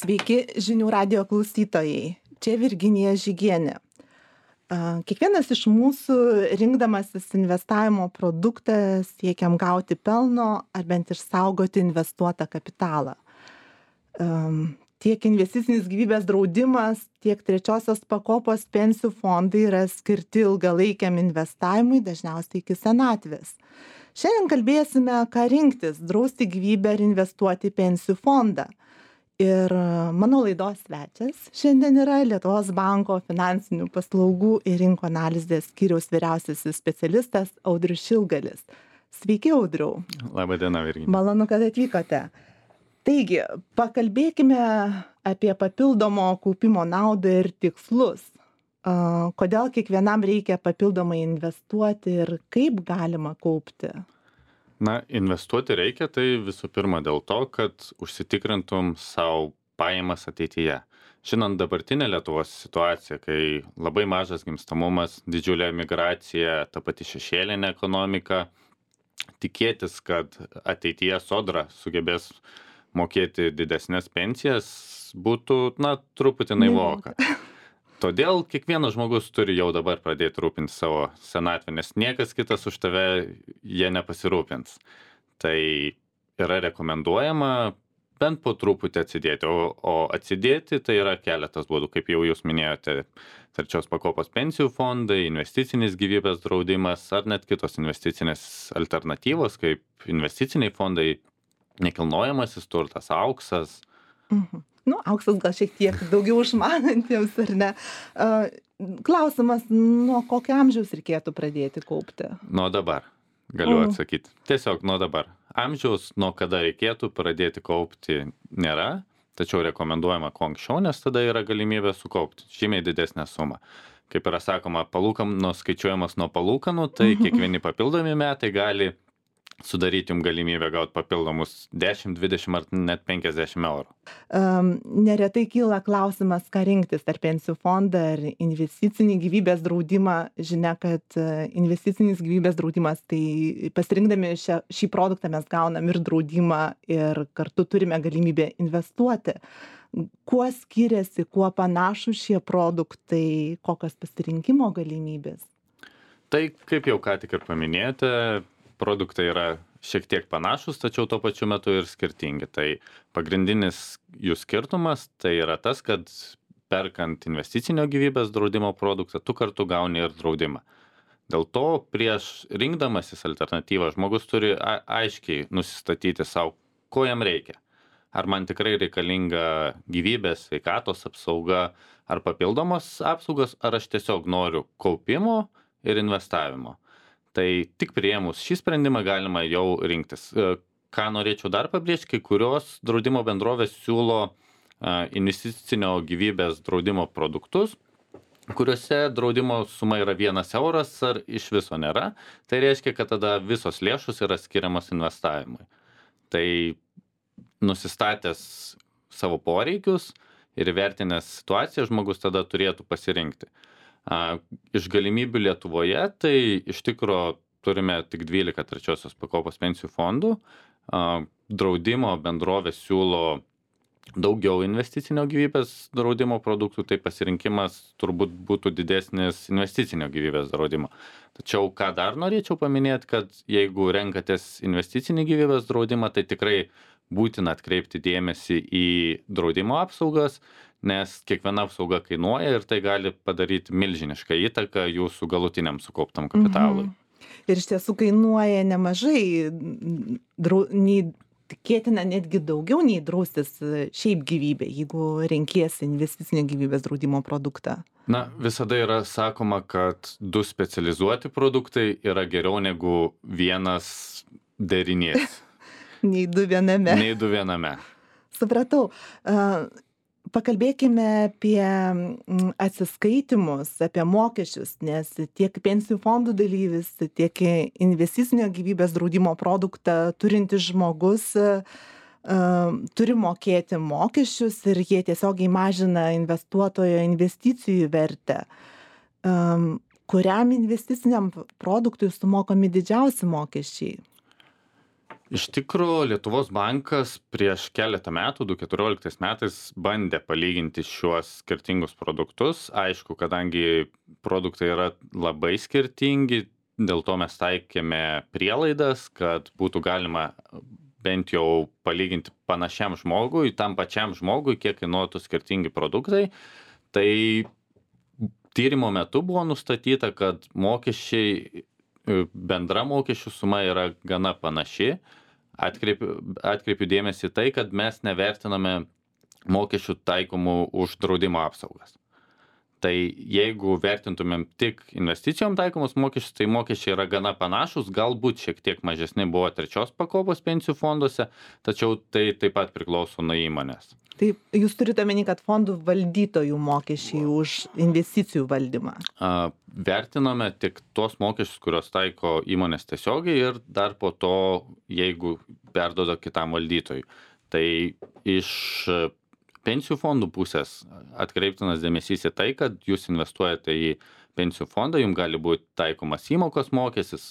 Sveiki žinių radijo klausytojai. Čia Virginija Žygienė. Kiekvienas iš mūsų rinkdamasis investavimo produktą siekiam gauti pelno ar bent išsaugoti investuotą kapitalą. Tiek investicinis gyvybės draudimas, tiek trečiosios pakopos pensijų fondai yra skirti ilgalaikiam investavimui, dažniausiai iki senatvės. Šiandien kalbėsime, ką rinktis - drausti gyvybę ar investuoti į pensijų fondą. Ir mano laidos svečias šiandien yra Lietuvos banko finansinių paslaugų ir rinkų analizės skyriaus vyriausiasis specialistas Audrius Šilgalis. Sveiki, Audriau. Labą dieną, Virginija. Malonu, kad atvykote. Taigi, pakalbėkime apie papildomo kaupimo naudą ir tikslus. Kodėl kiekvienam reikia papildomai investuoti ir kaip galima kaupti? Na, investuoti reikia, tai visų pirma dėl to, kad užsitikrintum savo pajamas ateityje. Žinant dabartinę Lietuvos situaciją, kai labai mažas gimstamumas, didžiulė migracija, ta pati šešėlinė ekonomika, tikėtis, kad ateityje Sodra sugebės mokėti didesnės pensijas, būtų, truputį naivoka. Todėl kiekvienas žmogus turi jau dabar pradėti rūpinti savo senatvę, nes niekas kitas už tave jie nepasirūpins. Tai yra rekomenduojama bent po truputį atsidėti, o atsidėti tai yra keletas būdų, kaip jau jūs minėjote, trečios pakopos pensijų fondai, investicinis gyvybės draudimas ar net kitos investicinės alternatyvos, kaip investiciniai fondai, nekilnojamasis turtas, auksas. Auksas gal šiek tiek daugiau išmanantiems, ar ne? Klausimas, nuo kokio amžiaus reikėtų pradėti kaupti? Nuo dabar, galiu atsakyti. Tiesiog nuo dabar. Amžiaus, nuo kada reikėtų pradėti kaupti, nėra, tačiau rekomenduojama kuo anksčiau, nes tada yra galimybė sukaupti žymiai didesnę sumą. Kaip yra sakoma, palūkanos skaičiuojamas nuo palūkanų, tai kiekvieni papildomi metai gali sudaryti jums galimybę gauti papildomus 10, 20 ar net 50 eurų. Neretai kyla klausimas, ką rinktis, ar pensijų fondą, ar investicinį gyvybės draudimą. Žinia, kad investicinis gyvybės draudimas, tai pasirinkdami šį produktą mes gaunam ir draudimą, ir kartu turime galimybę investuoti. Kuo skiriasi, kuo panašūs šie produktai, kokios pasirinkimo galimybės? Tai, kaip jau ką tik ir paminėjote, produktai yra šiek tiek panašus, tačiau tuo pačiu metu ir skirtingi. Tai pagrindinis jų skirtumas tai yra tas, kad perkant investicinio gyvybės draudimo produktą, tu kartu gauni ir draudimą. Dėl to prieš rinkdamasis alternatyvą žmogus turi aiškiai nusistatyti savo, ko jam reikia. Ar man tikrai reikalinga gyvybės, sveikatos apsauga ar papildomos apsaugos, ar aš tiesiog noriu kaupimo ir investavimo. Tai tik priėmus šį sprendimą galima jau rinktis. Ką norėčiau dar pabrėžti, kai kurios draudimo bendrovės siūlo investicinio gyvybės draudimo produktus, kuriuose draudimo suma yra 1 euras ar iš viso nėra. Tai reiškia, kad tada visos lėšos yra skiriamas investavimui. Tai nusistatęs savo poreikius ir įvertinęs situaciją, žmogus tada turėtų pasirinkti. Iš galimybių Lietuvoje, tai iš tikro turime tik 12 trečiosios pakopos pensijų fondų. Draudimo bendrovės siūlo daugiau investicinio gyvybės draudimo produktų, tai pasirinkimas turbūt būtų didesnis investicinio gyvybės draudimo. Tačiau ką dar norėčiau paminėti, kad jeigu renkatės investicinį gyvybės draudimą, tai tikrai būtina atkreipti dėmesį į draudimo apsaugas, nes kiekviena apsauga kainuoja ir tai gali padaryti milžinišką įtaką jūsų galutiniam sukauptam kapitalui. Ir iš tiesų kainuoja nemažai, tikėtina netgi daugiau nei draustis šiaip gyvybė, jeigu renkiesi investicinio gyvybės draudimo produktą. Visada yra sakoma, kad 2 specializuoti produktai yra geriau negu vienas derinys. Nei 2 viename. Nei 2 viename. Supratau. Pakalbėkime apie atsiskaitimus, apie mokesčius, nes tiek pensijų fondų dalyvis, tiek investicinio gyvybės draudimo produktą turintis žmogus turi mokėti mokesčius ir jie tiesiogiai mažina investuotojo investicijų vertę. Kuriam investiciniam produktui sumokami didžiausi mokesčiai? Iš tikrųjų, Lietuvos bankas prieš keletą metų, 2014 metais, bandė palyginti šiuos skirtingus produktus. Aišku, kadangi produktai yra labai skirtingi, dėl to mes taikėme prielaidas, kad būtų galima bent jau palyginti panašiam žmogui, tam pačiam žmogui, kiek kainuotų skirtingi produktai. Tai tyrimo metu buvo nustatyta, kad mokesčiai, bendra mokesčių suma yra gana panaši. Atkreipiu dėmesį tai, kad mes nevertiname mokesčių taikomų už draudimo apsaugas. Tai jeigu vertintumėm tik investicijom taikomus mokesčius, tai mokesčiai yra gana panašus, galbūt šiek tiek mažesni buvo trečios pakopos pensijų fonduose, tačiau tai taip pat priklauso nuo įmonės. Tai jūs turite omeny, kad fondų valdytojų mokesčiai už investicijų valdymą? Vertiname tik tuos mokesčius, kurios taiko įmonės tiesiogiai ir dar po to, jeigu perduoda kitam valdytojui. Tai iš pensijų fondų pusės atkreiptinas dėmesys į tai, kad jūs investuojate į pensijų fondą, jums gali būti taikomas įmokos mokestis,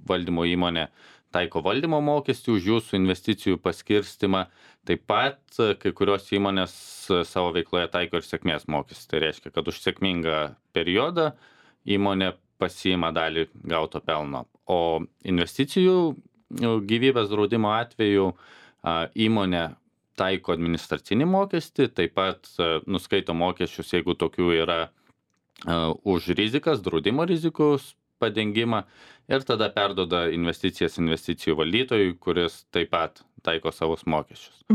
valdymo įmonė taiko valdymo mokestį už jūsų investicijų paskirstimą. Taip pat kai kurios įmonės savo veikloje taiko ir sėkmės mokestį. Tai reiškia, kad už sėkmingą periodą įmonė pasiima dalį gauto pelno. O investicijų gyvybės draudimo atveju įmonė taiko administracinį mokestį, taip pat nuskaito mokesčius, jeigu tokių yra, už rizikas, draudimo rizikos padengimą ir tada perduoda investicijas investicijų valdytojui, kuris taip pat taiko savus mokesčius.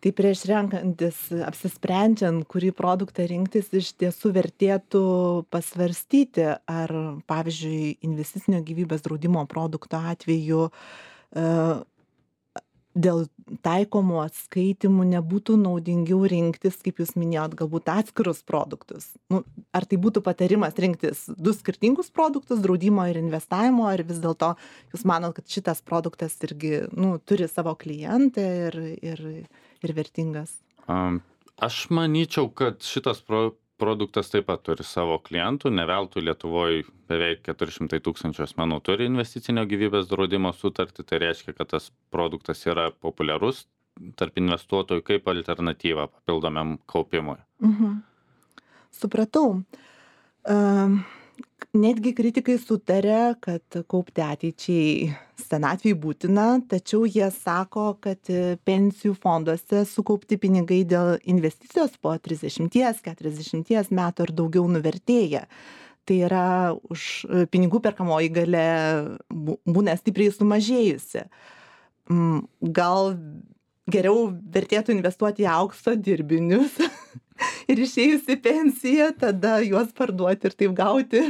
Tai prieš renkantis, apsisprendžiant, kurį produktą rinktis, iš tiesų vertėtų pasvarstyti, ar, pavyzdžiui, investicinio gyvybės draudimo produkto atveju dėl taikomų atskaitimų nebūtų naudingiau rinktis, kaip jūs minėjot, galbūt atskirus produktus. Ar tai būtų patarimas rinktis du skirtingus produktus, draudimo ir investavimo, ar vis dėlto jūs manot, kad šitas produktas irgi turi savo klientą ir vertingas? Aš manyčiau, kad šitas produktas taip pat turi savo klientų, ne veltui Lietuvoje beveik 400 000 asmenų turi investicinio gyvybės draudimo sutartį, tai reiškia, kad tas produktas yra populiarus tarp investuotojų kaip alternatyva papildomiam kaupimui. Supratau. Netgi kritikai sutarė, kad kaupti ateičiai senatvei būtina, tačiau jie sako, kad pensijų fonduose sukaupti pinigai dėl investicijos po 30-40 metų ir daugiau nuvertėja. Tai yra už pinigų perkamoji galia būna stipriai sumažėjusi. Gal geriau vertėtų investuoti į aukso dirbinius ir išėjus į pensiją, tada juos parduoti ir taip gauti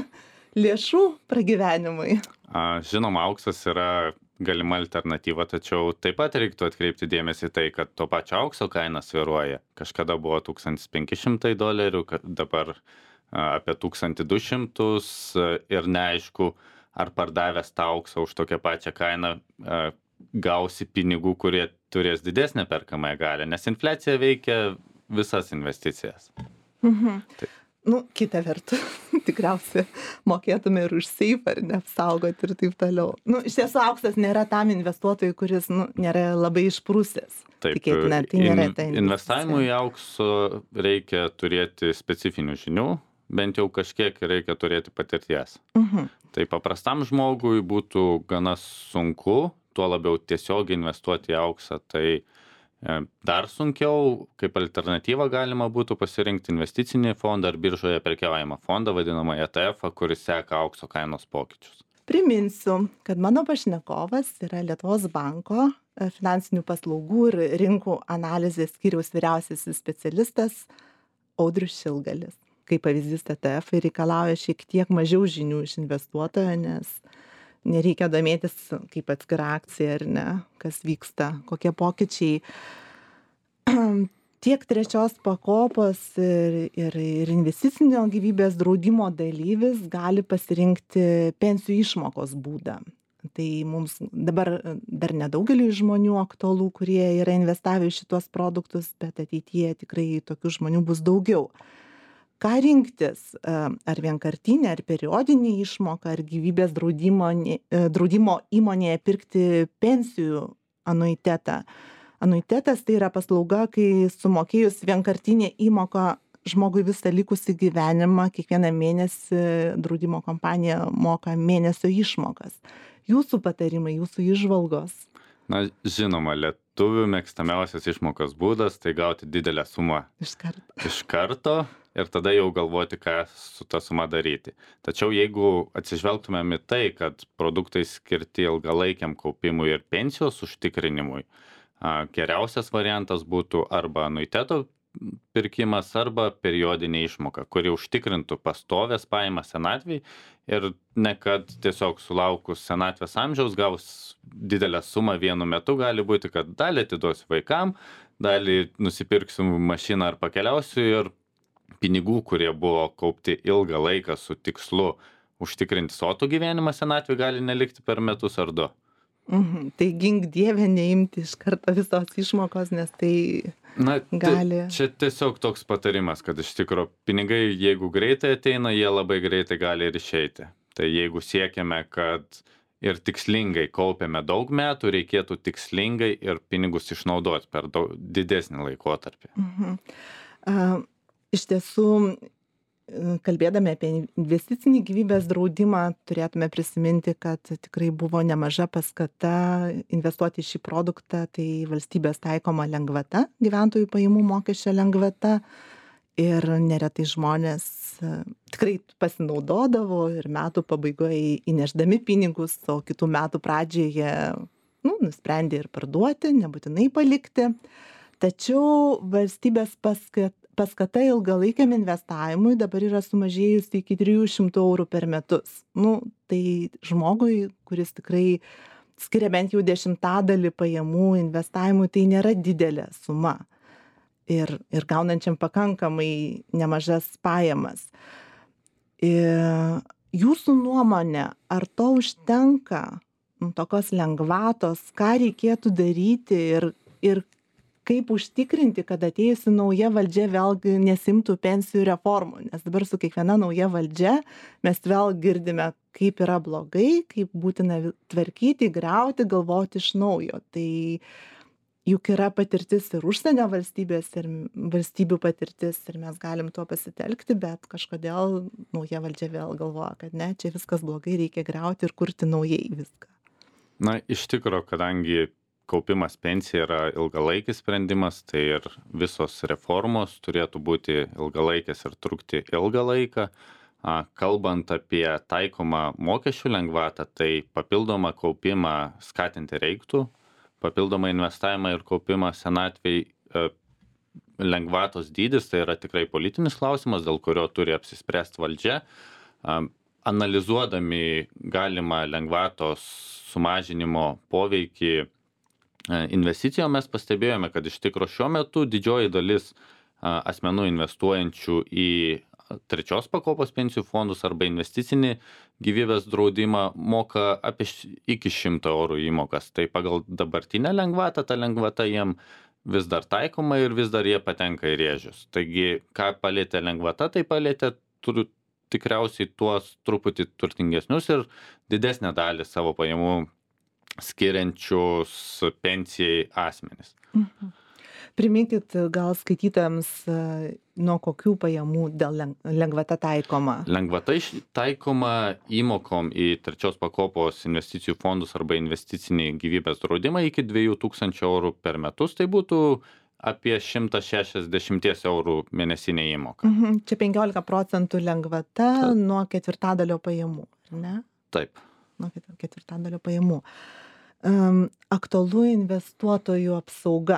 lėšų pragyvenimui. Žinoma, auksas yra galima alternatyva, tačiau taip pat reiktų atkreipti dėmesį tai, kad to pačio aukso kaina svyruoja. Kažkada buvo $1500, dabar apie 1200 ir neaišku, ar pardavęs tą auksą už tokią pačią kainą gausi pinigų, kurie turės didesnę perkamąją galią, nes infliacija veikia visas investicijas. Kita vertus, tikriausiai mokėtume ir už seifą, ar neapsaugoti ir taip toliau. Iš tiesų auksas nėra tam investuotojui, kuris nėra labai išprusęs. Taip, tikėtina, tai nėra ta investicija. Investavimui į aukso reikia turėti specifinių žinių, bent jau kažkiek reikia turėti patirties. Tai paprastam žmogui būtų gana sunku, tuo labiau tiesiogiai investuoti į auksą, tai dar sunkiau. Kaip alternatyva galima būtų pasirinkti investicinį fondą ar biržoje prekiaujamą fondą, vadinamą ETF, kuris seka aukso kainos pokyčius. Priminsiu, kad mano pašnekovas yra Lietuvos banko finansinių paslaugų ir rinkų analizės skyriaus vyriausiasis specialistas Audrius Šilgalis. Kaip pavyzdys, ETF reikalauja šiek tiek mažiau žinių iš investuotojo, nes nereikia domėtis kaip atskira akcija ar ne, kas vyksta, kokie pokyčiai. Tiek trečios pakopos ir investicinio gyvybės draudimo dalyvis gali pasirinkti pensijų išmokos būdą. Tai mums dabar dar nedaugeliui žmonių aktualu, kurie yra investavę į šitos produktus, bet ateityje tikrai tokių žmonių bus daugiau. ką rinktis, ar vienkartinė, ar periodinė išmoka, ar gyvybės draudimo įmonėje pirkti pensijų anuitetą. Anuitetas tai yra paslauga, kai sumokėjus vienkartinę įmoką žmogui visą likusį gyvenimą, kiekvieną mėnesį draudimo kompanija moka mėnesio išmokas. Jūsų patarimai, jūsų įžvalgos? Na, žinoma, lietuvių mėgstamiausias išmokos būdas tai gauti didelę sumą iš karto ir tada jau galvoti, ką su ta suma daryti. Tačiau jeigu atsižvelgtumėm į tai, kad produktai skirti ilgalaikiam kaupimui ir pensijos užtikrinimui, geriausias variantas būtų arba anuiteto pirkimas arba periodinė išmoka, kuri užtikrintų pastovės pajamas senatvėj ir ne kad tiesiog sulaukus senatvės amžiaus gaus didelę sumą vienu metu, gali būti, kad dalį atiduosiu vaikam, dalį nusipirksiu mašiną ar pakeliausiu ir pinigų, kurie buvo kaupti ilgą laiką su tikslu užtikrinti sotų gyvenimą senatvėj, gali nelikti per metus ar du. Tai gink Dieve neimti iš karto visos išmokos, nes tai gali. Čia tiesiog toks patarimas, kad iš tikrųjų pinigai, jeigu greitai ateina, jie labai greitai gali ir išeiti. Tai jeigu siekiame, kad ir tikslingai kaupiame daug metų, reikėtų tikslingai ir pinigus išnaudoti per didesnį laikotarpį. Iš tiesų, kalbėdami apie investicinį gyvybės draudimą, turėtume prisiminti, kad tikrai buvo nemaža paskata investuoti į šį produktą, tai valstybės taikoma lengvata, gyventojų pajamų mokesčio lengvata. Ir neretai žmonės tikrai pasinaudodavo ir metų pabaigoje įnešdami pinigus, o kitų metų pradžioje nusprendė ir parduoti, nebūtinai palikti. Tačiau valstybės paskata ilgalaikiam investavimui dabar yra sumažėjusi iki 300 eurų per metus. Tai žmogui, kuris tikrai skiria bent jau 10% pajamų investavimui, tai nėra didelė suma. Ir gaunančiam pakankamai nemažas pajamas. Jūsų nuomonė, ar to užtenka, tokios lengvatos, ką reikėtų daryti ir kaip užtikrinti, kad atėjusi nauja valdžia vėlgi nesimtų pensijų reformų, nes dabar su kiekviena nauja valdžia mes vėl girdime, kaip yra blogai, kaip būtina tvarkyti, griauti, galvoti iš naujo. Tai juk yra patirtis ir užsienio valstybės, ir valstybių patirtis, ir mes galim tuo pasitelkti, bet kažkodėl nauja valdžia vėl galvoja, kad ne, čia viskas blogai, reikia griauti ir kurti naujai viską. Na, iš tikrųjų, kadangi kaupimas pensija yra ilgalaikis sprendimas, tai ir visos reformos turėtų būti ilgalaikės ir trukti ilgą laiką. Kalbant apie taikomą mokesčių lengvatą, tai papildomą kaupimą skatinti reiktų, papildomą investavimą ir kaupimą senatvėj. Lengvatos dydis tai yra tikrai politinis klausimas, dėl kurio turi apsispręsti valdžia. Analizuodami galimą lengvatos sumažinimo poveikį investicijom mes pastebėjome, kad iš tikro šiuo metu didžioji dalis asmenų investuojančių į trečios pakopos pensijų fondus arba investicinį gyvybės draudimą moka apie iki 100 eurų įmokas. Tai pagal dabartinę lengvatą, ta lengvata jiem vis dar taikoma ir vis dar jie patenka į rėžius. Taigi, ką palėtė lengvata, tai palėtė tikriausiai tuos truputį turtingesnius ir didesnę dalį savo pajamų skiriančius pensijai asmenis. Priminkit gal skaitytojams, nuo kokių pajamų dėl lengvata taikoma? Lengvata taikoma įmokom į trečios pakopos investicijų fondus arba investicinį gyvybės draudimą iki 2000 eurų per metus. Tai būtų apie 160 eurų mėnesinė įmoka. Čia 15% lengvata nuo ketvirtadalio pajamų, ne? Taip. Nuo ketvirtadalio pajamų. Aktualu investuotojų apsauga.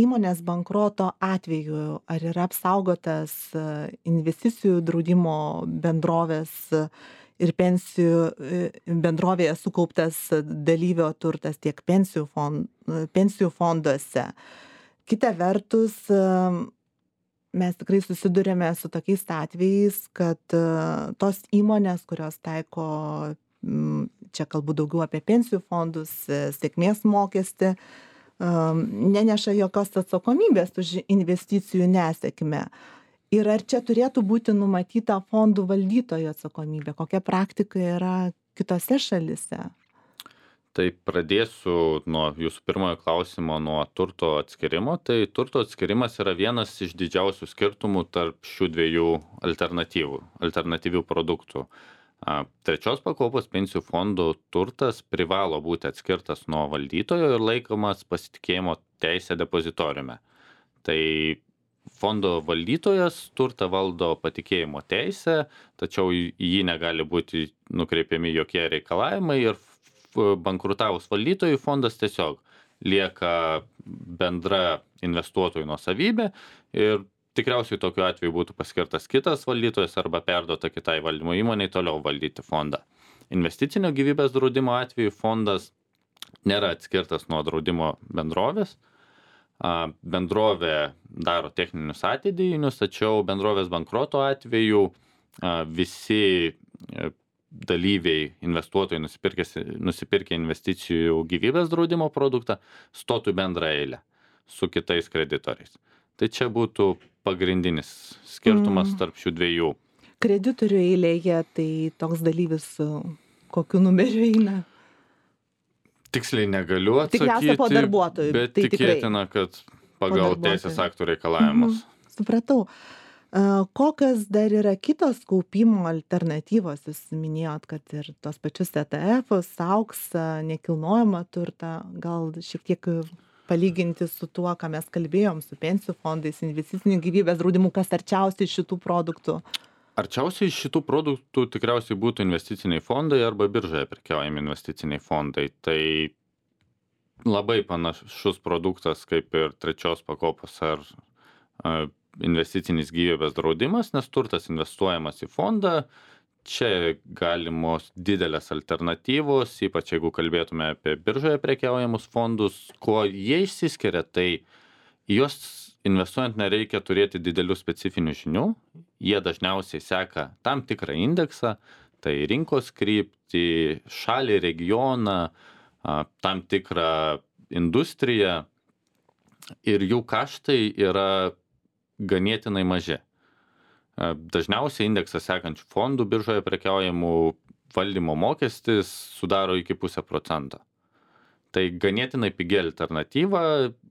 Įmonės bankroto atveju ar yra apsaugotas investicijų draudimo bendrovės ir pensijų bendrovėje sukauptas dalyvio turtas tiek pensijų fonduose. Kita vertus, mes tikrai susidurėme su tokiais atvejais, kad tos įmonės, kurios taiko, čia kalbu daugiau apie pensijų fondus, sėkmės mokestį, neneša jokios atsakomybės už investicijų nesėkmę. Ir ar čia turėtų būti numatyta fondų valdytojo atsakomybė? Kokia praktika yra kitose šalise? Tai pradėsiu nuo jūsų pirmojo klausimo, nuo turto atskirimo. Tai turto atskirimas yra vienas iš didžiausių skirtumų tarp šių dviejų alternatyvių produktų. Trečios pakopos pensijų fondų turtas privalo būti atskirtas nuo valdytojo ir laikomas pasitikėjimo teisė depozitoriume. Tai fondo valdytojas turtą valdo patikėjimo teisę, tačiau į jį negali būti nukreipiami jokie reikalavimai ir bankrutavus valdytojui fondas tiesiog lieka bendra investuotojų nuosavybė ir tikriausiai tokiu atveju būtų paskirtas kitas valdytojas arba perduota kitai valdymo įmonei toliau valdyti fondą. Investicinio gyvybės draudimo atveju fondas nėra atskirtas nuo draudimo bendrovės. Bendrovė daro techninius atidėjinius, tačiau bendrovės bankroto atveju visi dalyviai, investuotojai nusipirkę investicijų gyvybės draudimo produktą stotų bendrą eilę su kitais kreditoriais. Tai čia būtų pagrindinis skirtumas tarp šių dviejų. Kreditorių eilėje, tai toks dalyvis su kokiu numeriu eina? Tiksliai negaliu atsakyti, Tikriausia po darbuotojų. Bet tai tikėtina, kad pagal teisės aktų reikalavimus. Supratau. Kokios dar yra kitos kaupimo alternatyvos? Jūs minėjot, kad ir tos pačius ETF-us, auksą, nekilnojamą turtą, gal šiek tiek palyginti su tuo, ką mes kalbėjom, su pensijų fondais, investicinių gyvybės draudimu, kas arčiausiai šitų produktų? Arčiausiai šitų produktų tikriausiai būtų investiciniai fondai arba biržoje prekiaujami investiciniai fondai. Tai labai panašus produktas kaip ir trečios pakopos ar investicinis gyvybės draudimas, nes turtas investuojamas į fondą. Čia galimos didelės alternatyvos, ypač jeigu kalbėtume apie biržoje prekiaujamus fondus. Kuo jie išsiskiria, tai juos investuojant nereikia turėti didelių specifinių žinių. Jie dažniausiai seka tam tikrą indeksą, tai rinkos kryptį, šalį, regioną, tam tikrą industriją ir jų kaštai yra ganėtinai maži. Dažniausiai indeksą sekančių fondų biržoje prekiaujamų valdymo mokestis sudaro iki 0,5%. Tai ganėtinai pigi alternatyva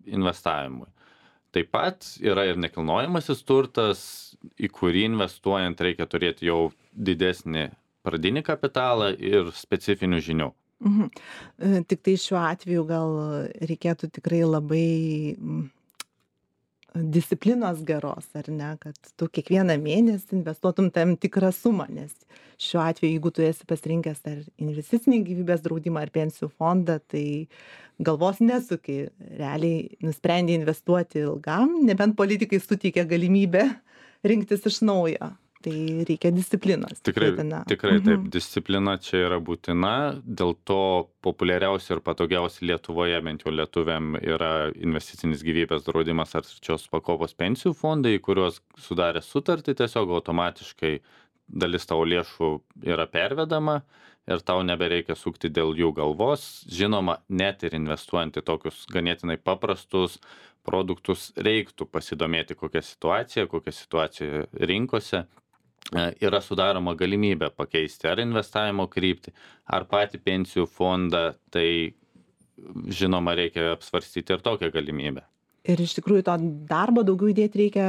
investavimui. Taip pat yra ir nekilnojamasis turtas, į kurį investuojant reikia turėti jau didesnį pradinį kapitalą ir specifinių žinių. Tik tai šiuo atveju gal reikėtų tikrai labai disciplinos geros, ar ne, kad tu kiekvieną mėnesį investuotum tam tikrą sumą, nes šiuo atveju, jeigu tu esi pasirinkęs ar investicinį gyvybės draudimą ar pensijų fondą, tai galvos nesuki, realiai nusprendė investuoti ilgam, nebent politikai suteikia galimybę rinktis iš naujo. Tai reikia disciplinos. Tikrai taip, disciplina čia yra būtina, dėl to populiariausia ir patogiausia Lietuvoje, bent jau lietuviam, yra investicinis gyvybės draudimas ar trečios pakopos pensijų fondai, kuriuos sudarė sutartį, tiesiog automatiškai dalis tavo lėšų yra pervedama ir tau nebereikia sukti dėl jų galvos. Žinoma, net ir investuojant į tokius ganėtinai paprastus produktus reiktų pasidomėti, kokia situacija rinkose. Yra sudaroma galimybė pakeisti ar investavimo kryptį, ar patį pensijų fondą, tai žinoma reikia apsvarstyti ir tokią galimybę. Ir iš tikrųjų to darbo daugiau įdėti reikia,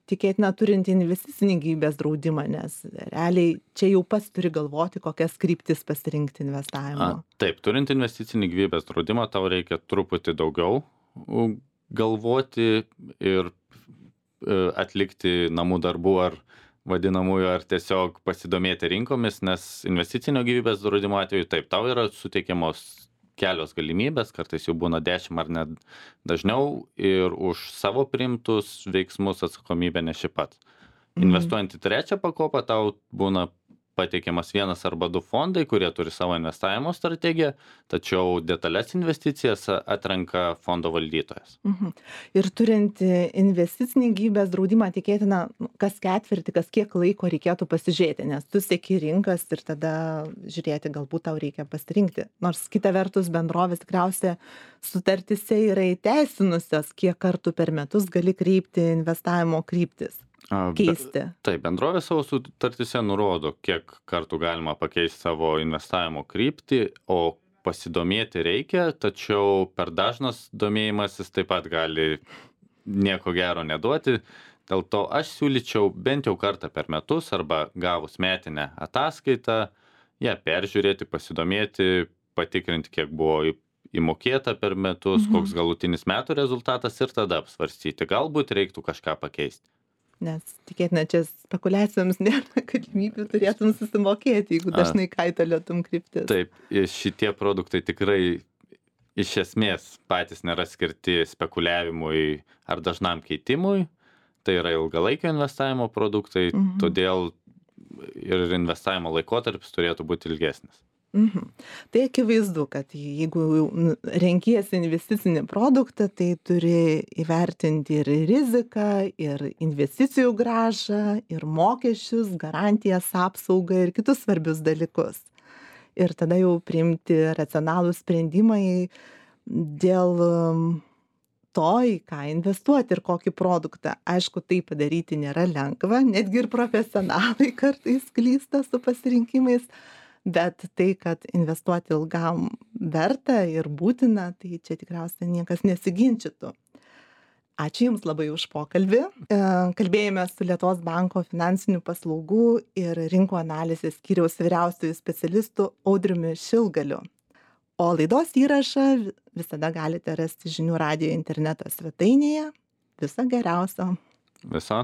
tikėtina, turint investicinį gyvybės draudimą, nes realiai čia jau pats turi galvoti, kokias kryptis pasirinkti investavimo. Taip, turint investicinį gyvybės draudimą, tau reikia truputį daugiau galvoti ir atlikti namų darbų ar vadinamųjų, ar tiesiog pasidomėti rinkomis, nes investicinio gyvybės draudimo atveju taip, tau yra suteikiamos kelios galimybės, kartais jau būna 10 ar net dažniau ir už savo priimtus veiksmus atsakomybę neši pats. Investuojant į trečią pakopą, tau būna pateikiamas vienas arba du fondai, kurie turi savo investavimo strategiją, tačiau detalės investicijas atrenka fondo valdytojas. Ir turint investicinį gyvybės draudimą, tikėtina, kas ketvirtį, kas kiek laiko reikėtų pasižiūrėti, nes tu seki rinkas ir tada žiūrėti, galbūt tau reikia pasirinkti. Nors kita vertus bendrovės tikriausiai sutartyse yra įteisinusios, kiek kartų per metus gali kreipti investavimo kryptis. keisti? Taip, bendrovė savo sutartyse nurodo, kiek kartų galima pakeisti savo investavimo kryptį, o pasidomėti reikia, tačiau per dažnas domėjimasis taip pat gali nieko gero neduoti. Dėl to aš siūlyčiau bent jau kartą per metus arba gavus metinę ataskaitą, ją peržiūrėti, pasidomėti, patikrinti, kiek buvo įmokėta per metus, koks galutinis metų rezultatas ir tada apsvarstyti. Galbūt reiktų kažką pakeisti. Nes tikėtina, čia spekuliacijoms nėra galimybių, turėtum susimokėti, jeigu dažnai kaitaliotum kryptis. Taip, šitie produktai tikrai iš esmės patys nėra skirti spekuliavimui ar dažnam keitimui. Tai yra ilgalaikio investavimo produktai, todėl ir investavimo laikotarpis turėtų būti ilgesnis. Tai akivaizdu, kad jeigu renkiesi investicinį produktą, tai turi įvertinti ir riziką, ir investicijų grąžą, ir mokesčius, garantijas, apsaugą ir kitus svarbius dalykus. Ir tada jau priimti racionalų sprendimai dėl to, į ką investuoti ir kokį produktą. Aišku, tai padaryti nėra lengva, netgi ir profesionalai kartais klysta su pasirinkimais. Bet tai, kad investuoti ilgam verta ir būtina, tai čia tikriausiai niekas nesiginčytų. Ačiū Jums labai už pokalbį. Kalbėjome su Lietuvos banko finansinių paslaugų ir rinkų analizės skyriaus vyriausiuoju specialistu Audriumi Šilgaliu. O laidos įrašą visada galite rasti Žinių radijo interneto svetainėje. Viso geriausio. Viso.